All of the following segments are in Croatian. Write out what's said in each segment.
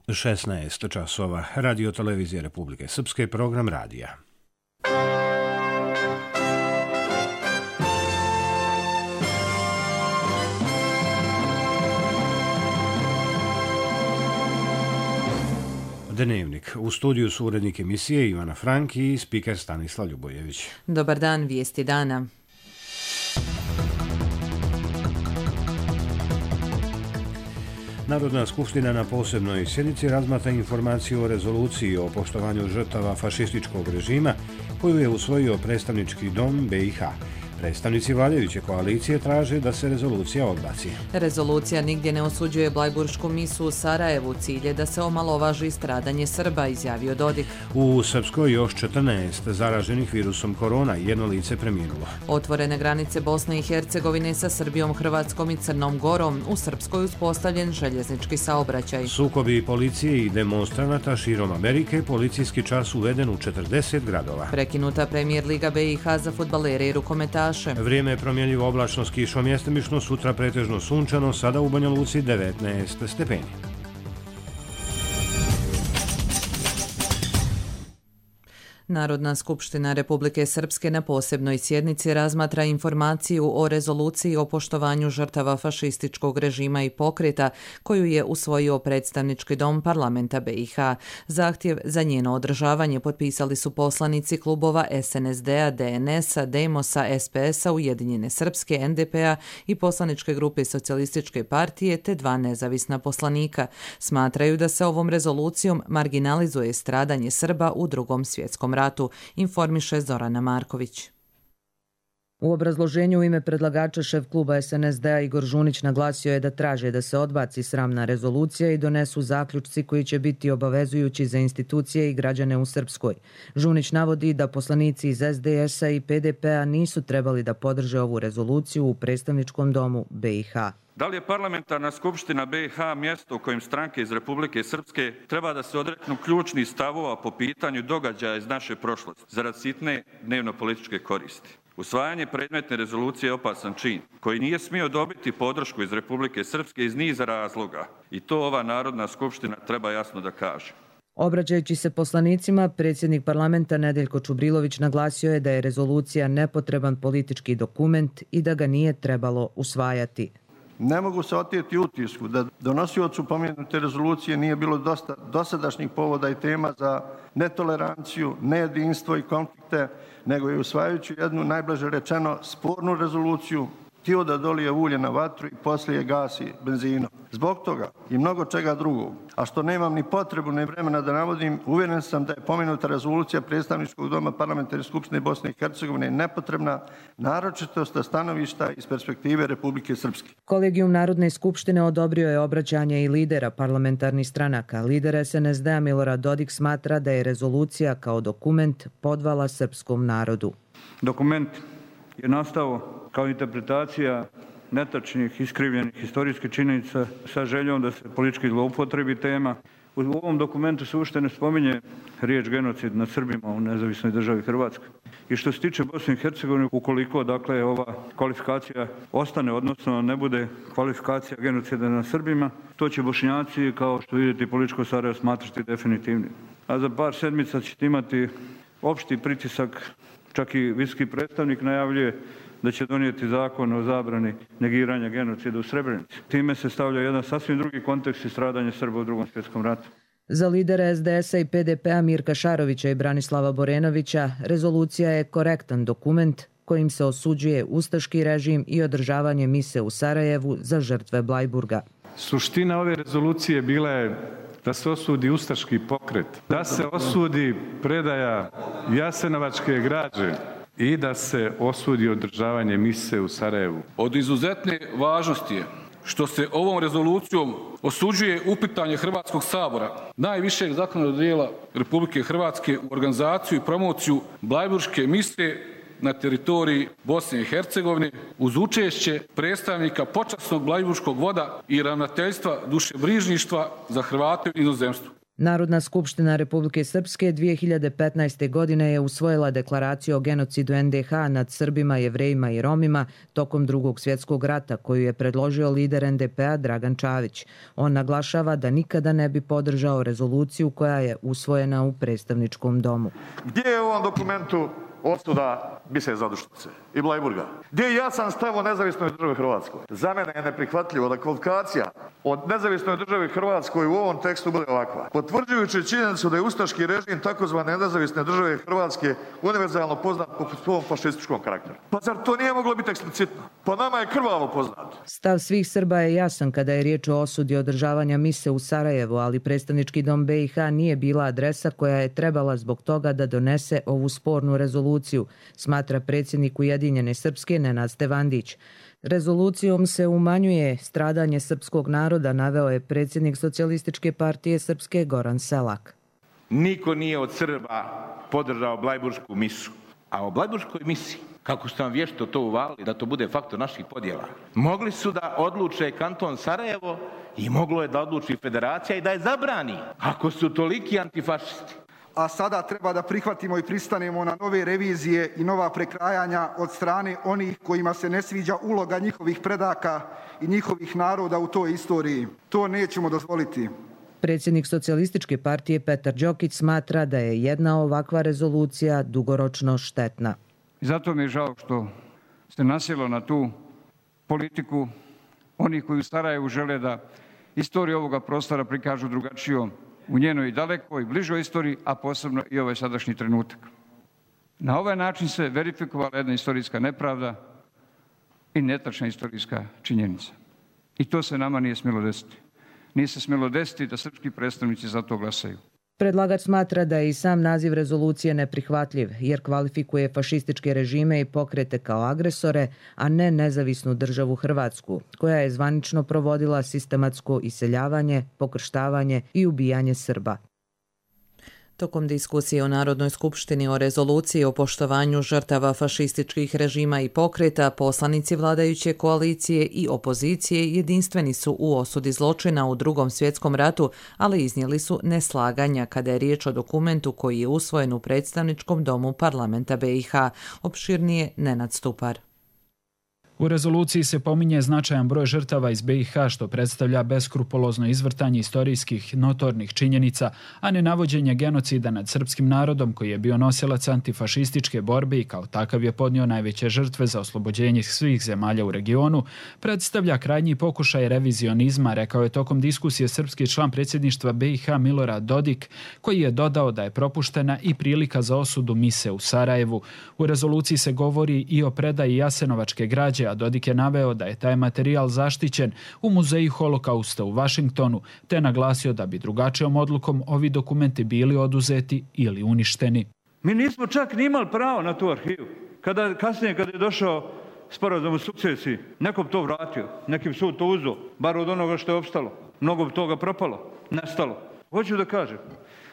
16 časova. Radio Televizije Republike Srpske, program radija. Dnevnik. U studiju su urednik emisije Ivana Frank i spiker Stanislav Ljubojević. Dobar dan, vijesti dana. Narodna skupština na posebnoj sjednici razmatra informaciju o rezoluciji o poštovanju žrtava fašističkog režima koju je usvojio predstavnički dom BiH. Predstavnici vladajuće koalicije traže da se rezolucija odbaci. Rezolucija nigdje ne osuđuje blajburšku misu u Sarajevu. Cilj je da se omalovaži stradanje Srba, izjavio Dodik. U Srpskoj još 14 zaraženih virusom korona, jedno lice preminulo. Otvorene granice Bosne i Hercegovine sa Srbijom, Hrvatskom i Crnom Gorom. U Srpskoj uspostavljen željeznički saobraćaj. Sukobi policije i demonstranata širom Amerike, policijski čas uveden u 40 gradova. Prekinuta Premier Liga BiH za fudbalere i rukometaše. Vrijeme je promjenjivo, oblačno s kišom, mjestimično, sutra pretežno sunčano, sada u Banja Luci 19 stepeni. Narodna skupština Republike Srpske na posebnoj sjednici razmatra informaciju o rezoluciji o poštovanju žrtava fašističkog režima i pokreta koju je usvojio predstavnički dom parlamenta BiH. Zahtjev za njeno održavanje potpisali su poslanici klubova SNSD-a, DNS-a, Demos-a, SPS-a, Ujedinjene Srpske, NDP-a i poslaničke grupe Socijalističke partije te dva nezavisna poslanika. Smatraju da se ovom rezolucijom marginalizuje stradanje Srba u Drugom svjetskom ratu, informiše Zorana Marković. U obrazloženju u ime predlagača šef kluba SNSD-a Igor Žunić naglasio je da traže da se odbaci sramna rezolucija i donesu zaključci koji će biti obavezujući za institucije i građane u Srpskoj. Žunić navodi da poslanici iz SDS-a i PDP-a nisu trebali da podrže ovu rezoluciju u predstavničkom domu BiH. Da li je parlamentarna skupština BiH mjesto u kojem stranke iz Republike Srpske treba da se odreknu ključnih stavova po pitanju događaja iz naše prošlosti zarad sitne dnevno-političke koristi? Usvajanje predmetne rezolucije je opasan čin koji nije smio dobiti podršku iz Republike Srpske iz niza razloga i to ova Narodna skupština treba jasno da kaže. Obraćajući se poslanicima, predsjednik parlamenta Nedeljko Čubrilović naglasio je da je rezolucija nepotreban politički dokument i da ga nije trebalo usvajati. Ne mogu se oteti utisku da donosiocu pomenute rezolucije nije bilo dosta dosadašnjih povoda i tema za netoleranciju, nejedinstvo i konflikte, nego je usvajajući jednu, najblaže rečeno, spornu rezoluciju htio da dolije ulje na vatru i poslije gasi benzinom. Zbog toga i mnogo čega drugog, a što nemam ni potrebu ni vremena da navodim, uvjeren sam da je pomenuta rezolucija predstavničkog doma parlamentarne skupštine Bosne i Hercegovine nepotrebna, naročito sa stanovišta iz perspektive Republike Srpske. Kolegijum Narodne skupštine odobrio je obraćanje i lidera parlamentarnih stranaka. Lider SNSD-a Milorad Dodik smatra da je rezolucija kao dokument podvala srpskom narodu. Dokument je nastao kao interpretacija netačnih, iskrivljenih historijskih činjenica sa željom da se politički zloupotrebi tema. U ovom dokumentu se uopšte ne spominje riječ genocid nad Srbima u nezavisnoj državi Hrvatskoj. I što se tiče Bosne i Hercegovine, ukoliko dakle ova kvalifikacija ostane, odnosno ne bude kvalifikacija genocida nad Srbima, to će Bošnjaci, kao što vidite, političko Sarajevo smatrati definitivnim. A za par sedmica ćete imati opšti pritisak, čak i visoki predstavnik najavljuje da će donijeti zakon o zabrani negiranja genocida u Srebrenici. Time se stavlja jedan sasvim drugi kontekst i stradanje Srba u Drugom svjetskom ratu. Za lidera SDS-a i PDP-a Mirka Šarovića i Branislava Borenovića, rezolucija je korektan dokument kojim se osuđuje ustaški režim i održavanje mise u Sarajevu za žrtve Blajburga. Suština ove rezolucije bila je da se osudi ustaški pokret, da se osudi predaja jasenovačke građe i da se osudi održavanje mise u Sarajevu. Od izuzetne važnosti je što se ovom rezolucijom osuđuje uplitanje Hrvatskog sabora, najvišeg zakonodavnog dijela Republike Hrvatske, u organizaciju i promociju blajburške mise na teritoriji Bosne i Hercegovine uz učešće predstavnika počasnog blajburškog voda i ravnateljstva dušebrižništva za Hrvate u inozemstvu. Narodna skupština Republike Srpske 2015. godine je usvojila deklaraciju o genocidu NDH nad Srbima, Jevrejima i Romima tokom Drugog svjetskog rata, koju je predložio lider NDP-a Dragan Čavić. On naglašava da nikada ne bi podržao rezoluciju koja je usvojena u predstavničkom domu. Gdje je u ovom dokumentu osuda Bise Zadušnice i Blajburga? Gdje je jasan stav o nezavisnoj državi Hrvatskoj? Za mene je neprihvatljivo da kvalifikacija o nezavisnoj državi Hrvatskoj u ovom tekstu bude ovakva. Potvrđujući činjenicu da je ustaški režim takozvane nezavisne države Hrvatske univerzalno poznat po svom fašističkom karakteru. Pa zar to nije moglo biti eksplicitno? Pa nama je krvavo poznato. Stav svih Srba je jasan kada je riječ o osudi održavanja mise u Sarajevu, ali predstavnički dom BiH nije bila adresa koja je trebala zbog toga da donese ovu spornu rezoluciju, smatra predsjednik Ujedinjene Srpske Nenad Stevandić. Rezolucijom se umanjuje stradanje srpskog naroda, naveo je predsjednik Socijalističke partije Srpske Goran Selak. Niko nije od Srba podržao Blajbursku misu. A o Blajburskoj misiji, kako su nam vješto to uvalili, da to bude faktor naših podjela, mogli su da odluče kanton Sarajevo i moglo je da odluči federacija i da je zabrani, ako su toliki antifašisti. A sada treba da prihvatimo i pristanemo na nove revizije i nova prekrajanja od strane onih kojima se ne sviđa uloga njihovih predaka i njihovih naroda u toj istoriji. To nećemo dozvoliti. Predsjednik Socijalističke partije Petar Đokić smatra da je jedna ovakva rezolucija dugoročno štetna. I zato mi je žao što se nasjelo na tu politiku onih koji u Sarajevu žele da istoriju ovoga prostora prikažu drugačijom u njenoj dalekoj, bližoj istoriji, a posebno i ovaj sadašnji trenutak. Na ovaj način se verifikovala jedna istorijska nepravda i netačna istorijska činjenica. I to se nama nije smjelo desiti. Nije se smjelo desiti da srpski predstavnici za to glasaju. Predlagač smatra da je i sam naziv rezolucije neprihvatljiv, jer kvalifikuje fašističke režime i pokrete kao agresore, a ne nezavisnu državu Hrvatsku, koja je zvanično provodila sistematsko iseljavanje, pokrštavanje i ubijanje Srba. Tokom diskusije u Narodnoj skupštini o rezoluciji o poštovanju žrtava fašističkih režima i pokreta, poslanici vladajuće koalicije i opozicije jedinstveni su u osudi zločina u Drugom svjetskom ratu, ali iznijeli su neslaganja kada je riječ o dokumentu koji je usvojen u predstavničkom domu parlamenta BiH. Opširnije Nenad Stupar. U rezoluciji se pominje značajan broj žrtava iz BiH, što predstavlja beskrupulozno izvrtanje istorijskih notornih činjenica, a ne navođenje genocida nad srpskim narodom koji je bio nosilac antifašističke borbe i kao takav je podnio najveće žrtve za oslobođenje svih zemalja u regionu, predstavlja krajnji pokušaj revizionizma, rekao je tokom diskusije srpski član predsjedništva BiH Milorad Dodik, koji je dodao da je propuštena i prilika za osudu mise u Sarajevu. U rezoluciji se govori i o predaji jasenovačke građe, a Dodik je naveo da je taj materijal zaštićen u Muzeju holokausta u Vašingtonu, te naglasio da bi drugačijom odlukom ovi dokumenti bili oduzeti ili uništeni. Mi nismo čak ni imali pravo na tu arhivu. Kasnije, kada je došao sporazum o sukcesiji, nekom to vratio, nekim sud to uzeo, bar od onoga što je opstalo. Mnogo toga propalo, nestalo. Hoću da kažem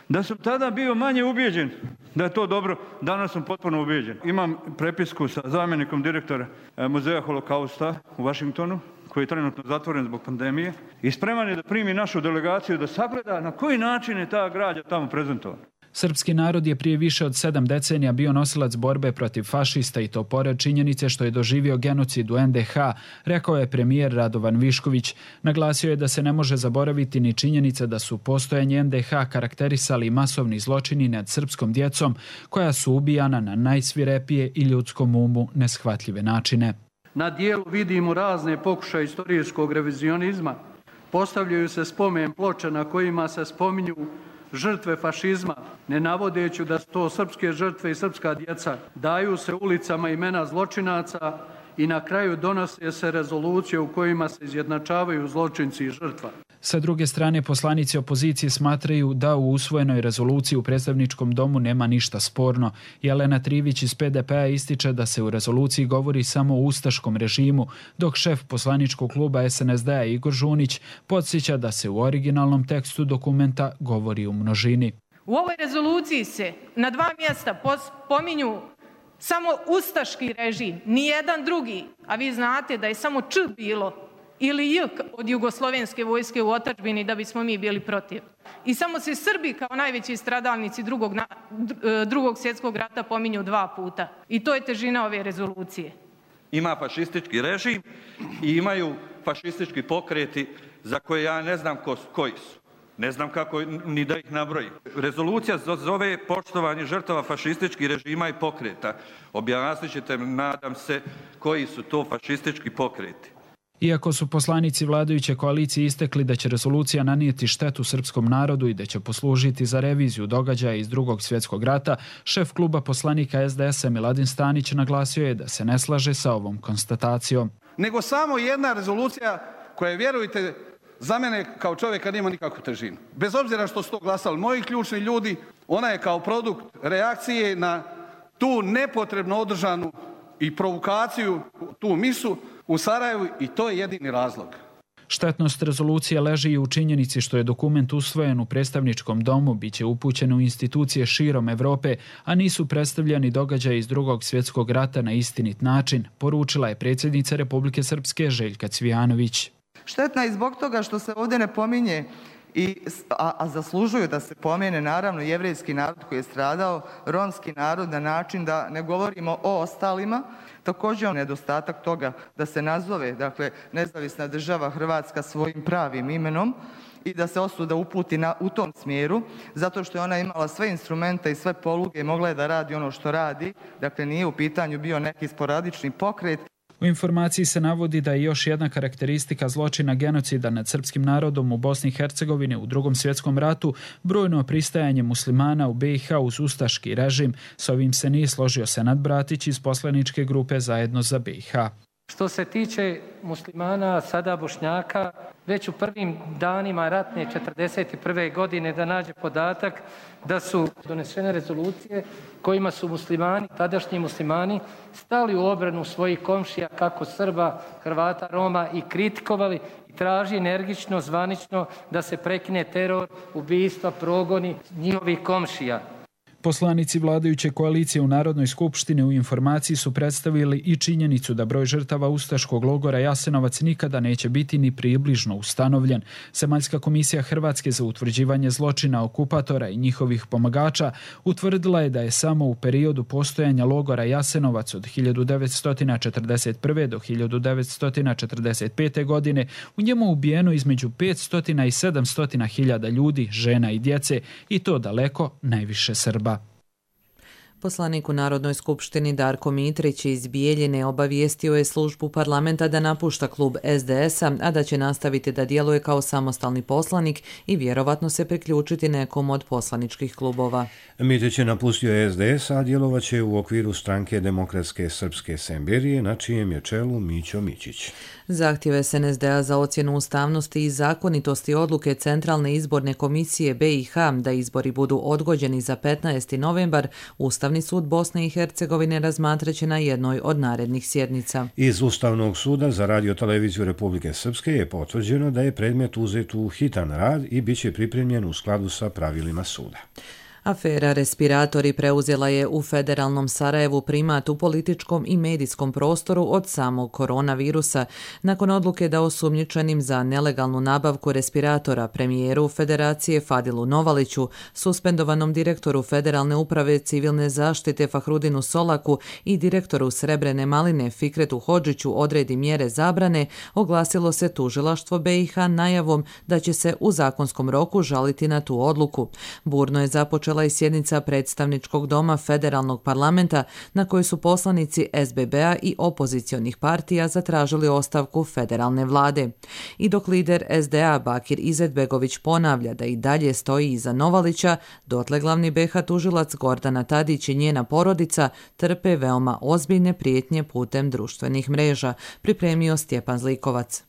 da sam tada bio manje ubijeđen da je to dobro, danas sam potpuno ubijeđen. Imam prepisku sa zamjenikom direktora Muzeja holokausta u Vašingtonu, koji je trenutno zatvoren zbog pandemije, i spreman je da primi našu delegaciju da sagleda na koji način je ta građa tamo prezentovana. Srpski narod je prije više od 7 decenija bio nosilac borbe protiv fašista i to pored činjenice što je doživio genocid u NDH, rekao je premijer Radovan Višković. Naglasio je da se ne može zaboraviti ni činjenica da su postojanje NDH karakterisali masovni zločini nad srpskom djecom koja su ubijana na najsvirepije i ljudskom umu neshvatljive načine. Na dijelu vidimo razne pokušaje istorijskog revizionizma. Postavljaju se spomen ploče na kojima se spominju žrtve fašizma, ne navodeći da su to srpske žrtve i srpska djeca. Daju se ulicama imena zločinaca i na kraju donose se rezolucije u kojima se izjednačavaju zločinci i žrtva. Sa druge strane, poslanici opozicije smatraju da u usvojenoj rezoluciji u predstavničkom domu nema ništa sporno. Jelena Trivić iz PDP-a ističe da se u rezoluciji govori samo o ustaškom režimu, dok šef poslaničkog kluba SNSD-a Igor Žunić podsjeća da se u originalnom tekstu dokumenta govori u množini. U ovoj rezoluciji se na 2 mjesta pominju samo ustaški režim, nijedan drugi, a vi znate da je samo Č bilo ili J od jugoslovenske vojske u otadžbini da bismo mi bili protiv. I samo se Srbi kao najveći stradalnici drugog svjetskog rata pominju 2 puta. I to je težina ove rezolucije. Ima fašistički režim i imaju fašistički pokreti za koje ja ne znam koji su. Ne znam kako ni da ih nabrojim. Rezolucija zove poštovanje žrtava fašističkih režima i pokreta. Objasnit ćete, nadam se, koji su to fašistički pokreti. Iako su poslanici vladajuće koalicije istekli da će rezolucija nanijeti štetu srpskom narodu i da će poslužiti za reviziju događaja iz Drugog svjetskog rata, šef kluba poslanika SDS-a Miladin Stanić naglasio je da se ne slaže sa ovom konstatacijom. Nego samo jedna rezolucija koja, vjerujte, za mene kao čovjeka nema nikakvu težinu. Bez obzira što su to glasali moji ključni ljudi, ona je kao produkt reakcije na tu nepotrebno održanu i provokaciju, tu misu u Sarajevu, i to je jedini razlog. Štetnost rezolucije leži i u činjenici što je dokument usvojen u predstavničkom domu, biće upućen u institucije širom Evrope, a nisu predstavljani događaji iz Drugog svjetskog rata na istinit način, poručila je predsjednica Republike Srpske Željka Cvijanović. Štetna je zbog toga što se ovdje ne pominje, a zaslužuju da se pomene, naravno, jevrejski narod koji je stradao, romski narod, na način da ne govorimo o ostalima. Također je nedostatak toga da se nazove, dakle, nezavisna država Hrvatska svojim pravim imenom i da se osuda uputi u tom smjeru, zato što je ona imala sve instrumente i sve poluge i mogla je da radi ono što radi. Dakle, nije u pitanju bio neki sporadični pokret. U informaciji se navodi da je još jedna karakteristika zločina genocida nad srpskim narodom u Bosni i Hercegovini u Drugom svjetskom ratu brojno pristajanje muslimana u BiH uz ustaški režim. S ovim se nije složio Senad Bratić iz poslaničke grupe Zajedno za BiH. Što se tiče muslimana, sada Bošnjaka, već u prvim danima ratne 1941. godine da nađe podatak da su donesene rezolucije kojima su muslimani, tadašnji muslimani, stali u obranu svojih komšija, kako Srba, Hrvata, Roma, i kritikovali i traži energično, zvanično da se prekine teror, ubistva, progoni njihovih komšija. Poslanici vladajuće koalicije u Narodnoj skupštini u informaciji su predstavili i činjenicu da broj žrtava ustaškog logora Jasenovac nikada neće biti ni približno ustanovljen. Zemaljska komisija Hrvatske za utvrđivanje zločina okupatora i njihovih pomagača utvrdila je da je samo u periodu postojanja logora Jasenovac od 1941. do 1945. godine u njemu ubijeno između 500 i 700 hiljada ljudi, žena i djece, i to daleko najviše Srba. Poslanik u Narodnoj skupštini Darko Mitrić iz Bijeljine obavijestio je službu parlamenta da napušta klub SDS-a, a da će nastaviti da djeluje kao samostalni poslanik i vjerovatno se priključiti nekom od poslaničkih klubova. Mitrić je napustio SDS, a djelovaće u okviru stranke Demokratske srpske Semberije, na čijem je čelu Mićo Mićić. Zahtjev SNSD-a za ocjenu ustavnosti i zakonitosti odluke Centralne izborne komisije BiH da izbori budu odgođeni za 15. novembar, Ustavni sud Bosne i Hercegovine razmatraće na jednoj od narednih sjednica. Iz Ustavnog suda za Radio-televiziju Republike Srpske je potvrđeno da je predmet uzet u hitan rad i bit će pripremljen u skladu sa pravilima suda. Afera respiratori preuzela je u federalnom Sarajevu primat u političkom i medijskom prostoru od samog koronavirusa. Nakon odluke da osumnjičenim za nelegalnu nabavku respiratora premijeru Federacije Fadilu Novaliću, suspendovanom direktoru Federalne uprave civilne zaštite Fahrudinu Solaku i direktoru Srebrene maline Fikretu Hodžiću odredi mjere zabrane, oglasilo se tužilaštvo BiH najavom da će se u zakonskom roku žaliti na tu odluku. Burno je započela i sjednica predstavničkog doma federalnog parlamenta na kojoj su poslanici SBB-a i opozicionih partija zatražili ostavku federalne vlade. I dok lider SDA Bakir Izetbegović ponavlja da i dalje stoji iza Novalića, dotle glavni BiH tužilac Gordana Tadić i njena porodica trpe veoma ozbiljne prijetnje putem društvenih mreža, pripremio Stjepan Zlikovac.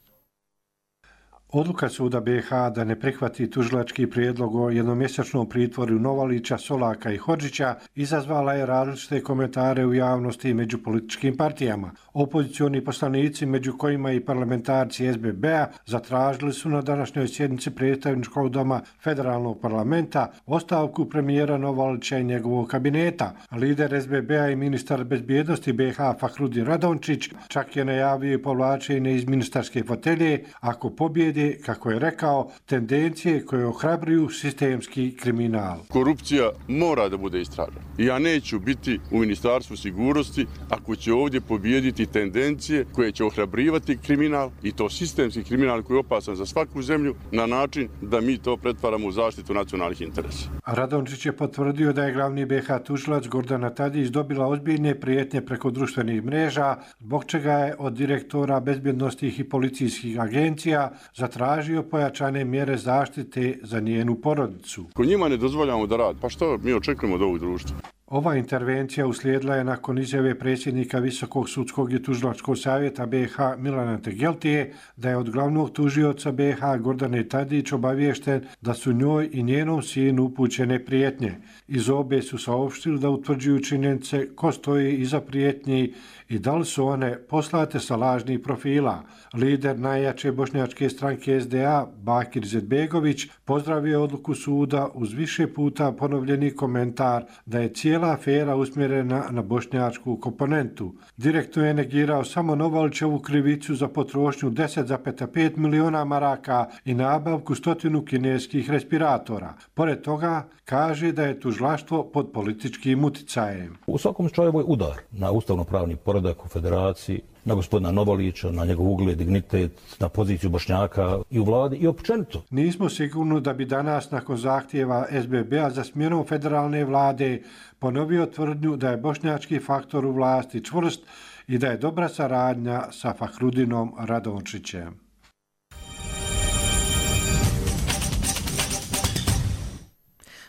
Odluka suda BiH da ne prihvati tužilački prijedlog o jednomjesečnom pritvoru Novalića, Solaka i Hodžića izazvala je različite komentare u javnosti i među političkim partijama. Opozicioni poslanici, među kojima i parlamentarci SBB-a, zatražili su na današnjoj sjednici predstavničkog doma federalnog parlamenta ostavku premijera Novalića i njegovog kabineta. Lider SBB-a i ministar bezbjednosti BiH Fahrudin Radončić čak je najavio povlačenje iz ministarske fotelje ako pobjede, kako je rekao, tendencije koje ohrabruju sistemski kriminal. Korupcija mora da bude istražena. Ja neću biti u Ministarstvu sigurnosti ako će ovdje pobijediti tendencije koje će ohrabrivati kriminal i to sistemski kriminal koji je opasan za svaku zemlju na način da mi to pretvaramo u zaštitu nacionalnih interesa. Radončić je potvrdio da je glavni BiH tužilac Gordana Tadić dobila ozbiljne prijetnje preko društvenih mreža, zbog čega je od direktora bezbjednosnih i policijskih agencija zatražio pojačane mjere zaštite za njenu porodicu. Ko njima ne dozvoljamo da radi, pa što mi očekujemo od ovog društva? Ova intervencija uslijedila je nakon izjave predsjednika Visokog sudskog i tužilačkog savjeta BiH Milana Tegeltije da je od glavnog tužioca BiH Gordane Tadić obaviješten da su njoj i njenom sinu upućene prijetnje. Iz obe su saopštili da utvrđuju činjenice ko stoji iza prijetnji i da li su one poslate sa lažnih profila. Lider najjače bošnjačke stranke SDA Bakir Izetbegović pozdravio odluku suda uz više puta ponovljeni komentar da je cijela afera usmjerena na bošnjačku komponentu. Direktno je negirao samo Novalićevu krivicu za potrošnju 10,5 miliona maraka i nabavku 100 kineskih respiratora. Pored toga, kaže da je tužilaštvo pod političkim uticajem. U svakom slučaju ovo je udar na ustavno-pravni poredak u federaciji, na gospodina Novalića, na njegov ugled, dignitet, na poziciju Bošnjaka i u vladi i općenito. Nismo sigurni da bi danas nakon zahtjeva SBB-a za smjenom federalne vlade ponovio tvrdnju da je bošnjački faktor u vlasti čvrst i da je dobra saradnja sa Fahrudinom Radončićem.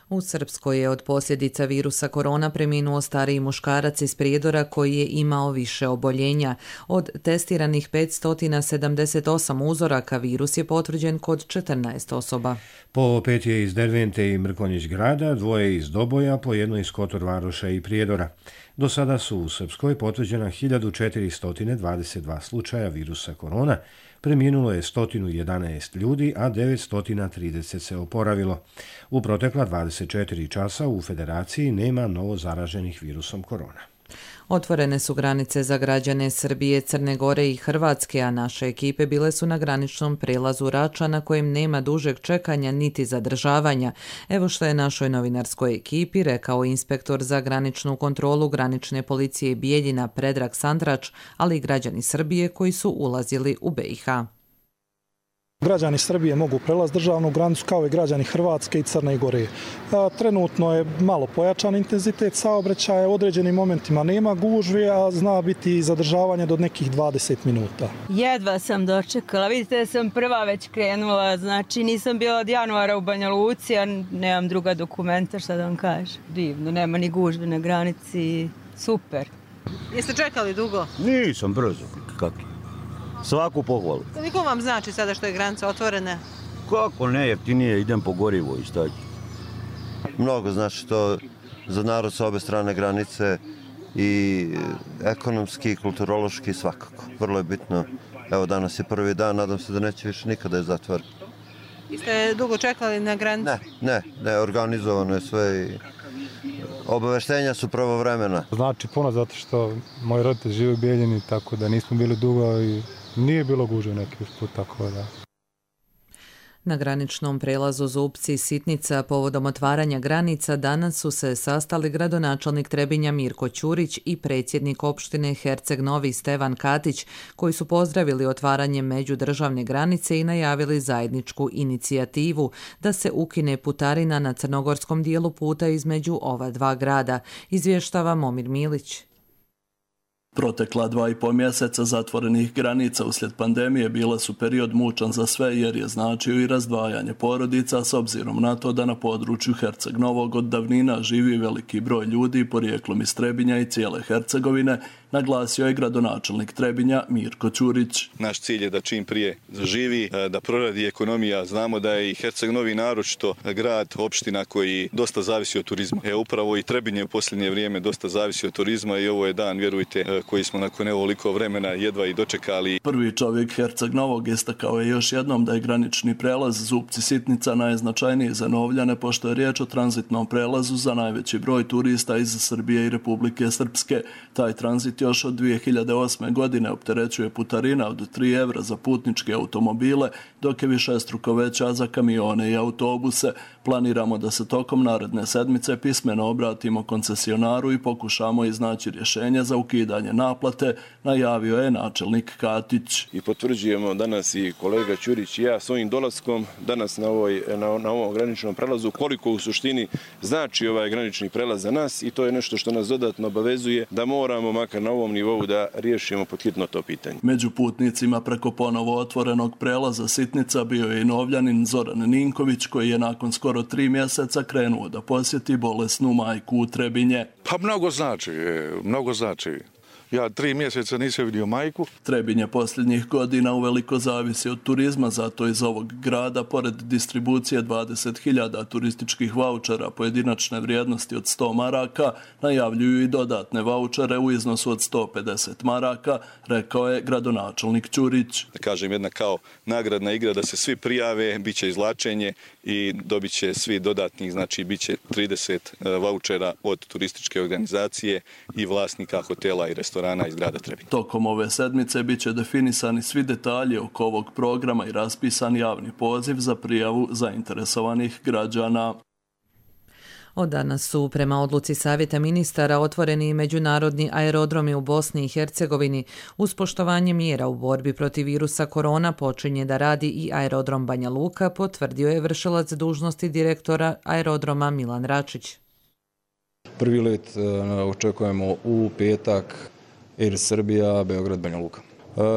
U Srpskoj je od posljedica virusa korona preminuo stariji muškarac iz Prijedora koji je imao više oboljenja. Od testiranih 578 uzoraka virus je potvrđen kod 14 osoba. Po 5 je iz Dervente i Mrkonjić grada, 2 iz Doboja, po 1 iz Kotor Varoša i Prijedora. Do sada su u Srpskoj potvrđena 1422 slučaja virusa korona, preminulo je 111 ljudi, a 930 se oporavilo. U protekla 24 časa u Federaciji nema novo zaraženih virusom korona. Otvorene su granice za građane Srbije, Crne Gore i Hrvatske, a naše ekipe bile su na graničnom prelazu Rača na kojem nema dužeg čekanja niti zadržavanja. Evo što je našoj novinarskoj ekipi rekao inspektor za graničnu kontrolu granične policije Bijeljina Predrag Sandrač, ali i građani Srbije koji su ulazili u BiH. Građani Srbije mogu prelaziti državnu granicu kao i građani Hrvatske i Crne Gore. Trenutno je malo pojačan intenzitet saobraćaja, u određenim momentima nema gužve, a zna biti zadržavanje do nekih 20 minuta. Jedva sam dočekala, vidite da sam prva već krenula, znači nisam bila od januara u Banja Luci, a nemam druga dokumenta, šta da vam kažem. Divno, nema ni gužve na granici, super. Jeste čekali dugo? Nisam, brzo, kako? Svaku pohvalu. Koliko vam znači sada što je granica otvorena? Kako ne, jeftinije, idem po gorivo i staći. Mnogo znači to za narod sa obe strane granice i ekonomski i kulturološki svakako. Vrlo je bitno. Evo danas je prvi dan, nadam se da neće više nikada je zatvor. Jeste dugo čekali na granici? Ne, organizovano je sve i obaveštenja su pravovremena. Znači puno zato što moji roditelji žive u Bijeljini, tako da nismo bili dugo i nije bilo gužve neki usput, tako da. Na graničnom prelazu Zupci i Sitnica povodom otvaranja granica danas su se sastali gradonačelnik Trebinja Mirko Ćurić i predsjednik opštine Herceg Novi Stevan Katić, koji su pozdravili otvaranje međudržavne granice i najavili zajedničku inicijativu da se ukine putarina na crnogorskom dijelu puta između ova dva grada, izvještava Momir Milić. Protekla 2,5 mjeseca zatvorenih granica uslijed pandemije bila su period mučan za sve jer je značio i razdvajanje porodica s obzirom na to da na području Herceg Novog od davnina živi veliki broj ljudi porijeklom iz Trebinja i cijele Hercegovine, naglasio je gradonačelnik Trebinja Mirko Ćurić. Naš cilj je da čim prije zaživi, da proradi ekonomija. Znamo da je i Herceg Novi naročito grad, opština koji dosta zavisi od turizma. Upravo i Trebinje u posljednje vrijeme dosta zavisi od turizma i ovo je dan, vjerujte, koji smo nakon ovoliko vremena jedva i dočekali. Prvi čovjek Herceg Novog istakao je još jednom da je granični prelaz Zupci-Sitnica najznačajniji za Novljane, pošto je riječ o tranzitnom prelazu za najveći broj turista iz Srbije i Republike Srpske. Taj tranzit još od 2008. godine opterećuje putarina od 3 evra za putničke automobile, dok je višestruko veća za kamione i autobuse. Planiramo da se tokom naredne sedmice pismeno obratimo koncesionaru i pokušamo iznaći rješenje za ukidanje naplate, najavio je načelnik Katić. I potvrđujemo danas i kolega Ćurić i ja svojim dolaskom danas na ovom graničnom prelazu koliko u suštini znači ovaj granični prelaz za nas i to je nešto što nas dodatno obavezuje da moramo makar na ovom nivou da riješimo pod hitno to pitanje. Među putnicima preko ponovo otvorenog prelaza Sitnica bio je i Novljanin Zoran Ninković koji je nakon skoro 3 mjeseca krenuo da posjeti bolesnu majku u Trebinje. Pa mnogo znači. Ja 3 mjeseca nisam vidio majku. Trebinje posljednjih godina uveliko zavisi od turizma, zato iz ovog grada, pored distribucije 20.000 turističkih vaučera pojedinačne vrijednosti od 100 maraka, najavljuju i dodatne vaučere u iznosu od 150 maraka, rekao je gradonačelnik Ćurić. Da kažem, jedna kao nagradna igra da se svi prijave, bit će izvlačenje i dobit će svi dodatnih, znači bit će 30 vaučera od turističke organizacije i vlasnika hotela i restorana iz grada Trebinja. Tokom ove sedmice bit će definisani svi detalji oko ovog programa i raspisan javni poziv za prijavu zainteresovanih građana. Od danas su prema odluci Savjeta ministara otvoreni i međunarodni aerodromi u Bosni i Hercegovini. Uz poštovanje mjera u borbi protiv virusa korona počinje da radi i aerodrom Banja Luka, potvrdio je vršilac dužnosti direktora aerodroma Milan Račić. Prvi let očekujemo u petak Air Srbija, Beograd, Banja Luka.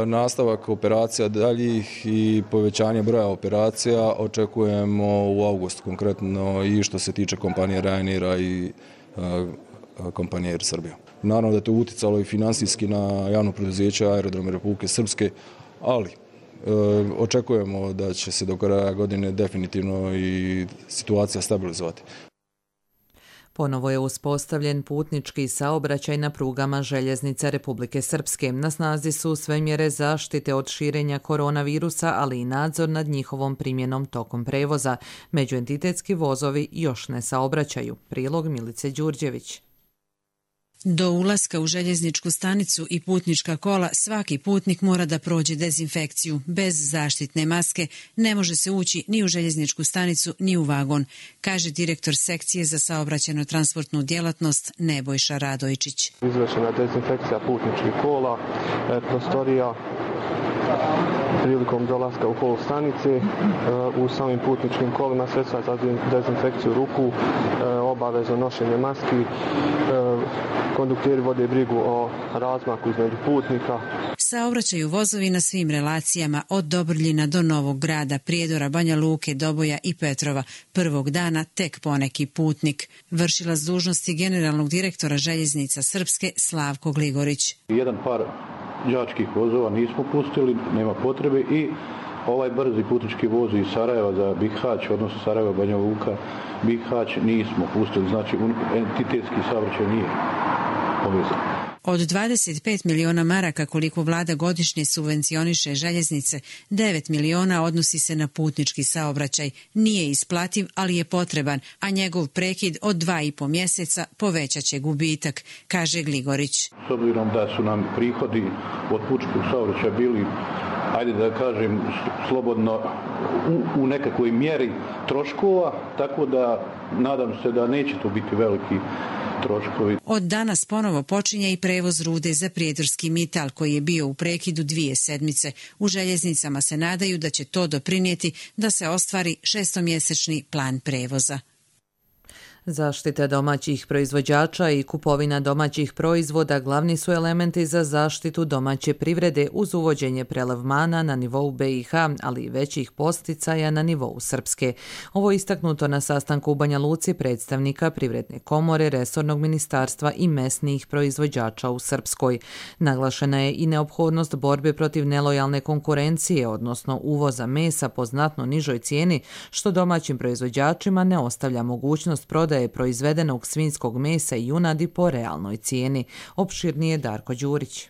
Nastavak operacija daljih i povećanje broja operacija očekujemo u avgustu konkretno i što se tiče kompanije Ryanaira i kompanije Air Srbija. Naravno da je to utjecalo i finansijski na javno preduzeće Aerodrome Republike Srpske, ali očekujemo da će se do kraja godine definitivno i situacija stabilizovati. Ponovo je uspostavljen putnički saobraćaj na prugama željeznice Republike Srpske. Na snazi su sve mjere zaštite od širenja koronavirusa, ali i nadzor nad njihovom primjenom tokom prevoza. Međuentitetski vozovi još ne saobraćaju. Prilog Milice Đurđević. Do ulaska u željezničku stanicu i putnička kola svaki putnik mora da prođe dezinfekciju. Bez zaštitne maske ne može se ući ni u željezničku stanicu ni u vagon, kaže direktor sekcije za saobraćajno-transportnu djelatnost Nebojša Radojčić. Izvršena dezinfekcija putničkih kola, prostorija prilikom dolaska u kol stanice, u samim putničkim kolima sredstva za dezinfekciju ruku, obavezno nošenje maski, kondukteri vode brigu o razmaku između putnika. Saobraćaju vozovi na svim relacijama od Dobrljina do Novog Grada, Prijedora, Banja Luke, Doboja i Petrova. Prvog dana tek poneki putnik. Vršilac dužnosti generalnog direktora željeznica Srpske Slavko Gligorić. Jedan par đačkih vozova nismo pustili, nema potrebe i ovaj brzi putnički voz iz Sarajeva za Bihać, odnosno Sarajeva, Banja Luka, Bihać nismo pustili, znači entitetski saobraćaj nije povezan. Od 25 miliona maraka koliko vlada godišnje subvencioniše željeznice, 9 miliona odnosi se na putnički saobraćaj. Nije isplativ, ali je potreban, a njegov prekid od 2,5 mjeseca povećat će gubitak, kaže Gligorić. S obzirom da su nam prihodi od putničkog saobraćaja bili, ajde da kažem, slobodno u nekakvoj mjeri troškova, tako da nadam se da neće to biti veliki troškovi. Od danas ponovo počinje i prevoz rude za prijedorski Mital koji je bio u prekidu 2 sedmice. U željeznicama se nadaju da će to doprinijeti da se ostvari 6-mjesečni plan prevoza. Zaštita domaćih proizvođača i kupovina domaćih proizvoda glavni su elementi za zaštitu domaće privrede uz uvođenje prelevmana na nivou BiH, ali i većih posticaja na nivou Srpske. Ovo je istaknuto na sastanku u Banja Luci predstavnika Privredne komore, resornog ministarstva i mesnih proizvođača u Srpskoj. Naglašena je i neophodnost borbe protiv nelojalne konkurencije, odnosno uvoza mesa po znatno nižoj cijeni, što domaćim proizvođačima ne ostavlja mogućnost prodaje proizvedenog svinjskog mesa i junadi po realnoj cijeni. Opširnije Darko Đurić.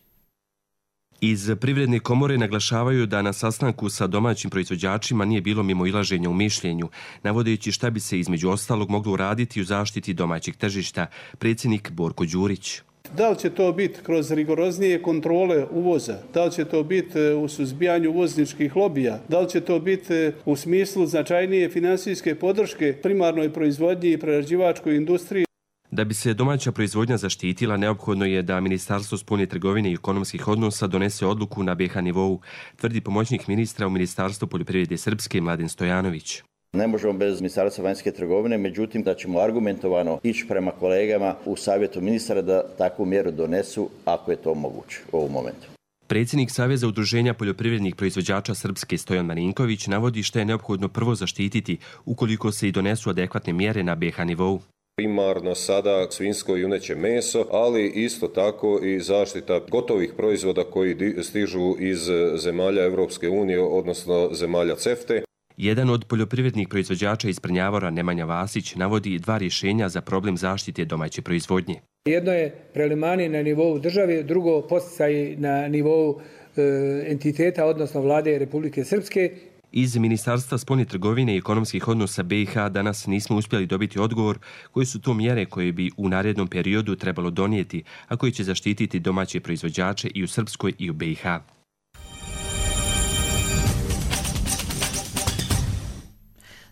Iz Privredne komore naglašavaju da na sastanku sa domaćim proizvođačima nije bilo mimoilaženja u mišljenju, navodeći šta bi se između ostalog moglo uraditi u zaštiti domaćeg tržišta. Predsjednik Borko Đurić. Da li će to biti kroz rigoroznije kontrole uvoza, da li će to biti u suzbijanju uvozničkih lobija, da li će to biti u smislu značajnije finansijske podrške primarnoj proizvodnji i prerađivačkoj industriji. Da bi se domaća proizvodnja zaštitila, neophodno je da Ministarstvo spoljne trgovine i ekonomskih odnosa donese odluku na BiH nivou, tvrdi pomoćnik ministra u Ministarstvu poljoprivrede Srpske Mladen Stojanović. Ne možemo bez Ministarstva vanjske trgovine, međutim da ćemo argumentovano ići prema kolegama u savjetu ministara da takvu mjeru donesu ako je to moguće u ovom momentu. Predsjednik Saveza udruženja poljoprivrednih proizvođača Srpske Stojan Marinković navodi što je neophodno prvo zaštititi ukoliko se i donesu adekvatne mjere na BiH nivou. Primarno sada svinjsko i juneće meso, ali isto tako i zaštita gotovih proizvoda koji stižu iz zemalja Europske unije, odnosno zemalja CEFTE. Jedan od poljoprivrednih proizvođača iz Prnjavora, Nemanja Vasić, navodi 2 rješenja za problem zaštite domaće proizvodnje. Jedno je prelevmani na nivou države, drugo podsticaj na nivou entiteta, odnosno vlade Republike Srpske. Iz Ministarstva spoljne trgovine i ekonomskih odnosa BiH danas nismo uspjeli dobiti odgovor koje su to mjere koje bi u narednom periodu trebalo donijeti, a koji će zaštititi domaće proizvođače i u Srpskoj i u BiH.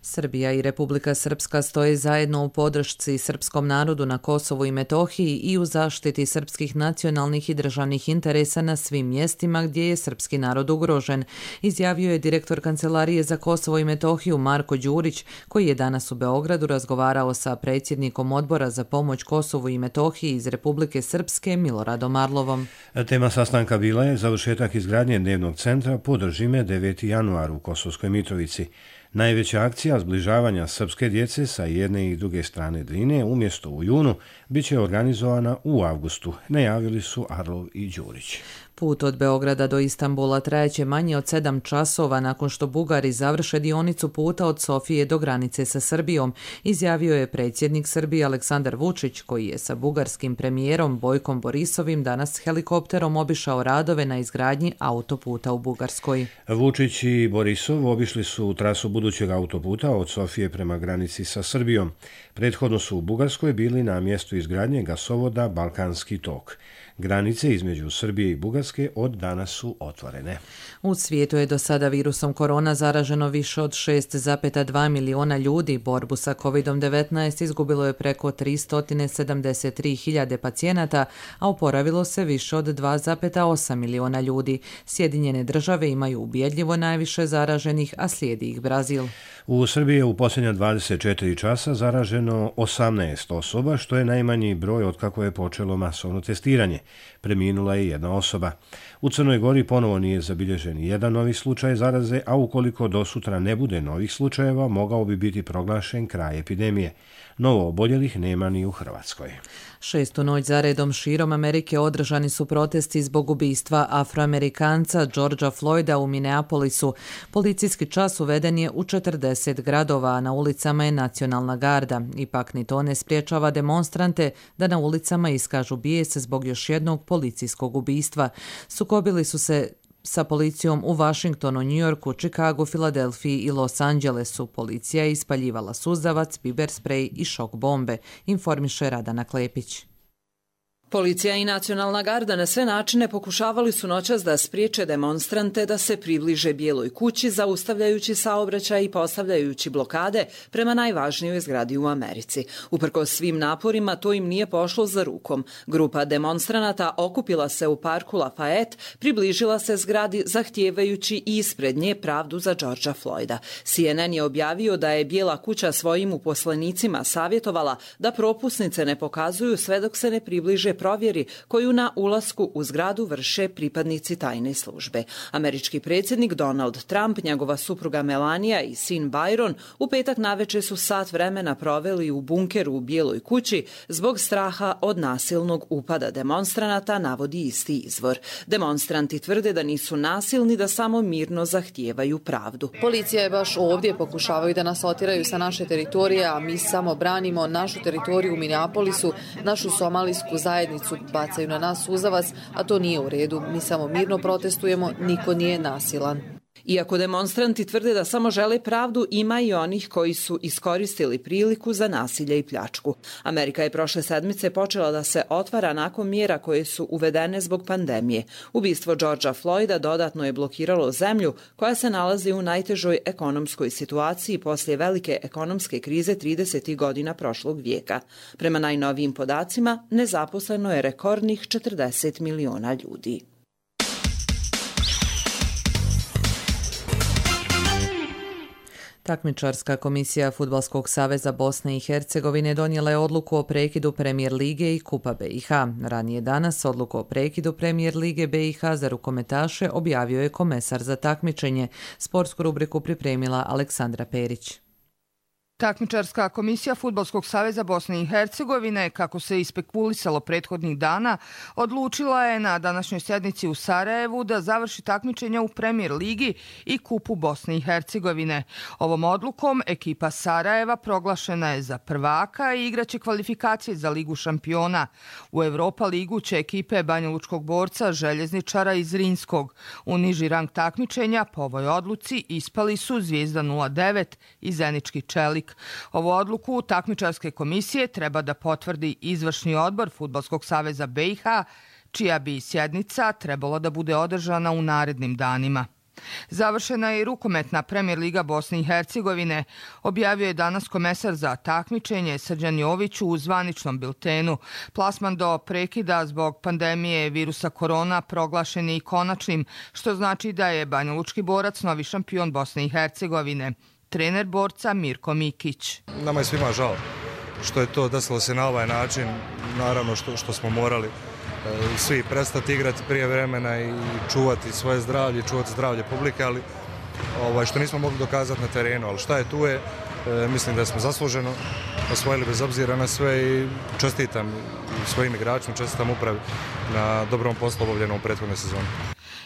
Srbija i Republika Srpska stoje zajedno u podršci srpskom narodu na Kosovu i Metohiji i u zaštiti srpskih nacionalnih i državnih interesa na svim mjestima gdje je srpski narod ugrožen, izjavio je direktor Kancelarije za Kosovo i Metohiju Marko Đurić, koji je danas u Beogradu razgovarao sa predsjednikom Odbora za pomoć Kosovu i Metohiji iz Republike Srpske Miloradom Arlovom. Tema sastanka bila je završetak izgradnje dnevnog centra Podržime 9. januar u Kosovskoj Mitrovici. Najveća akcija zbližavanja srpske djece sa jedne i druge strane Drine umjesto u junu bit će organizovana u avgustu, najavili su Arlov i Đurić. Put od Beograda do Istanbula trajeće manje od 7 časova nakon što Bugari završe dionicu puta od Sofije do granice sa Srbijom, izjavio je predsjednik Srbije Aleksandar Vučić, koji je sa bugarskim premijerom Bojkom Borisovim danas helikopterom obišao radove na izgradnji autoputa u Bugarskoj. Vučić i Borisov obišli su trasu budućeg autoputa od Sofije prema granici sa Srbijom. Prethodno su u Bugarskoj bili na mjestu izgradnje gasovoda Balkanski tok. Granice između Srbije i Bugarske od danas su otvorene. U svijetu je do sada virusom korona zaraženo više od 6,2 miliona ljudi. Borbu sa COVID-19 izgubilo je preko 373.000 pacijenata, a oporavilo se više od 2,8 miliona ljudi. Sjedinjene države imaju ubjedljivo najviše zaraženih, a slijedi ih Brazil. U Srbiji je u posljednja 24 časa zaraženo 18 osoba, što je najmanji broj otkako je počelo masovno testiranje. Preminula je jedna osoba. U Crnoj Gori ponovo nije zabilježen jedan novi slučaj zaraze, a ukoliko do sutra ne bude novih slučajeva, mogao bi biti proglašen kraj epidemije. Novo oboljelih nema ni u Hrvatskoj. 6. noć zaredom širom Amerike održani su protesti zbog ubistva Afroamerikanca Georgea Floyda u Minneapolisu. Policijski čas uveden je u 40 gradova, a na ulicama je nacionalna garda. Ipak ni to ne spriječava demonstrante da na ulicama iskažu bijes zbog još jednog policijskog ubistva. Sukobili su se sa policijom u Washingtonu, Njujorku, Čikagu, Filadelfiji i Los Angelesu. Policija je ispaljivala suzavac, biber sprej i šok bombe, informiše Radana Klepić. Policija i Nacionalna garda na sve načine pokušavali su noćas da spriječe demonstrante da se približe Bijeloj kući, zaustavljajući saobraćaj i postavljajući blokade prema najvažnijoj zgradi u Americi. Uprkos svim naporima, to im nije pošlo za rukom. Grupa demonstranata okupila se u parku Lafayette, približila se zgradi zahtijevajući ispred nje pravdu za Georgea Floyda. CNN je objavio da je Bijela kuća svojim uposlenicima savjetovala da propusnice ne pokazuju sve dok se ne približe provjeri koju na ulasku u zgradu vrše pripadnici tajne službe. Američki predsjednik Donald Trump, njegova supruga Melania i sin Byron u petak navečer su sat vremena proveli u bunkeru u Bijeloj kući zbog straha od nasilnog upada demonstranata, navodi isti izvor. Demonstranti tvrde da nisu nasilni, da samo mirno zahtijevaju pravdu. Policija je baš ovdje, pokušavaju da nas otjeraju sa naše teritorije, a mi samo branimo našu teritoriju u Minneapolisu, našu somalijsku zajednicu, bacaju na nas suzavac, a to nije u redu. Mi samo mirno protestujemo, niko nije nasilan. Iako demonstranti tvrde da samo žele pravdu, ima i onih koji su iskoristili priliku za nasilje i pljačku. Amerika je prošle sedmice počela da se otvara nakon mjera koje su uvedene zbog pandemije. Ubistvo Georgea Floyda dodatno je blokiralo zemlju koja se nalazi u najtežoj ekonomskoj situaciji poslije velike ekonomske krize 30. godina prošlog vijeka. Prema najnovijim podacima, nezaposleno je rekordnih 40 miliona ljudi. Takmičarska komisija Fudbalskog saveza Bosne i Hercegovine donijela je odluku o prekidu Premijer lige i Kupa BiH. Ranije danas odluku o prekidu Premijer lige BiH za rukometaše objavio je komesar za takmičenje. Sportsku rubriku pripremila Aleksandra Perić. Takmičarska komisija Fudbalskog saveza Bosne i Hercegovine, kako se ispekulisalo prethodnih dana, odlučila je na današnjoj sjednici u Sarajevu da završi takmičenja u Premijer ligi i Kupu Bosne i Hercegovine. Ovom odlukom ekipa Sarajeva proglašena je za prvaka i igraće kvalifikacije za Ligu šampiona. U Europa ligu će ekipe banjalučkog borca Željezničara iz Rinskog. U niži rang takmičenja po ovoj odluci ispali su Zvijezda 09 i Zenički Čelik. Ovu odluku takmičarske komisije treba da potvrdi izvršni odbor Fudbalskog saveza BiH, čija bi sjednica trebala da bude održana u narednim danima. Završena je i rukometna Premijer liga Bosne i Hercegovine, objavio je danas komesar za takmičenje Srđan Jović u zvaničnom biltenu. Plasman do prekida zbog pandemije virusa korona proglašen je i konačnim, što znači da je banjalučki borac novi šampion Bosne i Hercegovine. Trener borca Mirko Mikić. Nama je svima žao što je to desilo se na ovaj način, naravno što smo morali svi prestati igrati prije vremena i čuvati svoje zdravlje, čuvati zdravlje publike, ali što nismo mogli dokazati na terenu, ali šta je tu je, mislim da smo zasluženo osvojili bez obzira na sve i čestitam svojim igračima, čestitam upravi na dobrom poslu obavljenom u prethodnoj sezoni.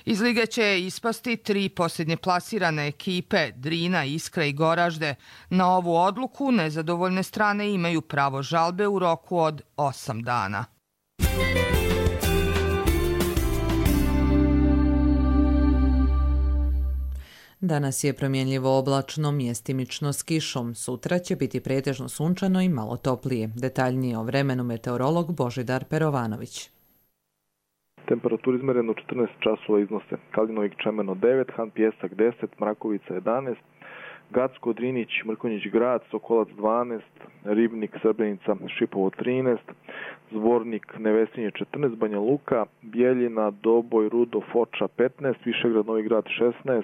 Iz lige će ispasti 3 posljednje plasirane ekipe, Drina, Iskra i Goražde. Na ovu odluku nezadovoljne strane imaju pravo žalbe u roku od 8 dana. Danas je promjenljivo oblačno, mjestimično s kišom. Sutra će biti pretežno sunčano i malo toplije. Detaljnije o vremenu meteorolog Božidar Perovanović. Temperatura izmerena u 14 časova iznose Kalinovik Čemeno 9, Han Pjesak 10, Mrakovica 11, Gacko, Drinić, Mrkonjić Grad, Sokolac 12, Ribnik, Srebrenica, Šipovo 13, Zvornik, Nevesinje 14, Banja Luka, Bijeljina, Doboj, Rudo, Foča 15, Višegrad, Novi Grad 16,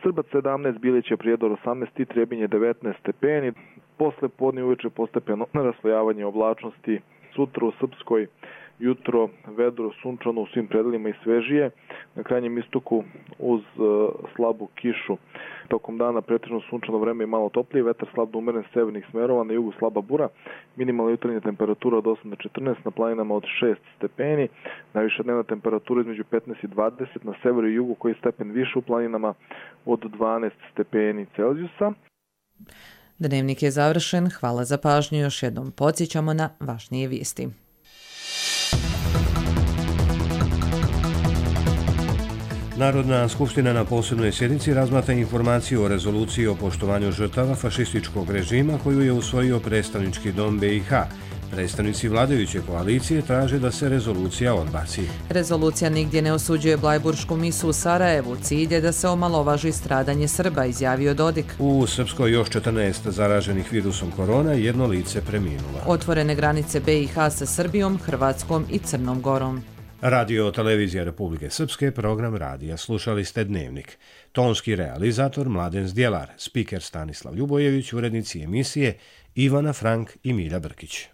Srbac 17, Biliće, Prijedor 18 i Trebinje 19 stepeni. Posle podne uveče postepeno raslojavanje oblačnosti. Sutra u Srpskoj jutro vedro, sunčano u svim predelima i svežije. Na krajnjem istoku uz slabu kišu. Tokom dana pretežno sunčano vreme i malo toplije, vetar slab do umeren severnih smerova, na jugu slaba bura, minimalna jutarnja temperatura od 8 do 14, na planinama od 6 stepeni, najviša dnevna temperatura između 15 i 20, na severu i jugu koji stepen više, u planinama od 12 stepeni Celzijusa. Dnevnik je završen, hvala za pažnju, još jednom podsjećamo na važnije vijesti. Narodna skupština na posebnoj sjednici razmatra informaciju o rezoluciji o poštovanju žrtava fašističkog režima koju je usvojio predstavnički dom BiH. Predstavnici vladajuće koalicije traže da se rezolucija odbaci. Rezolucija nigdje ne osuđuje blajburšku misu u Sarajevu. Cilj je da se omalovaži stradanje Srba, izjavio Dodik. U Srpskoj još 14 zaraženih virusom korona, jedno lice preminulo. Otvorene granice BiH sa Srbijom, Hrvatskom i Crnom Gorom. Radio Televizija Republike Srpske, program radija. Slušali ste Dnevnik. Tonski realizator Mladen Zdjelar, spiker Stanislav Ljubojević, urednici emisije Ivana Frank i Milja Brkić.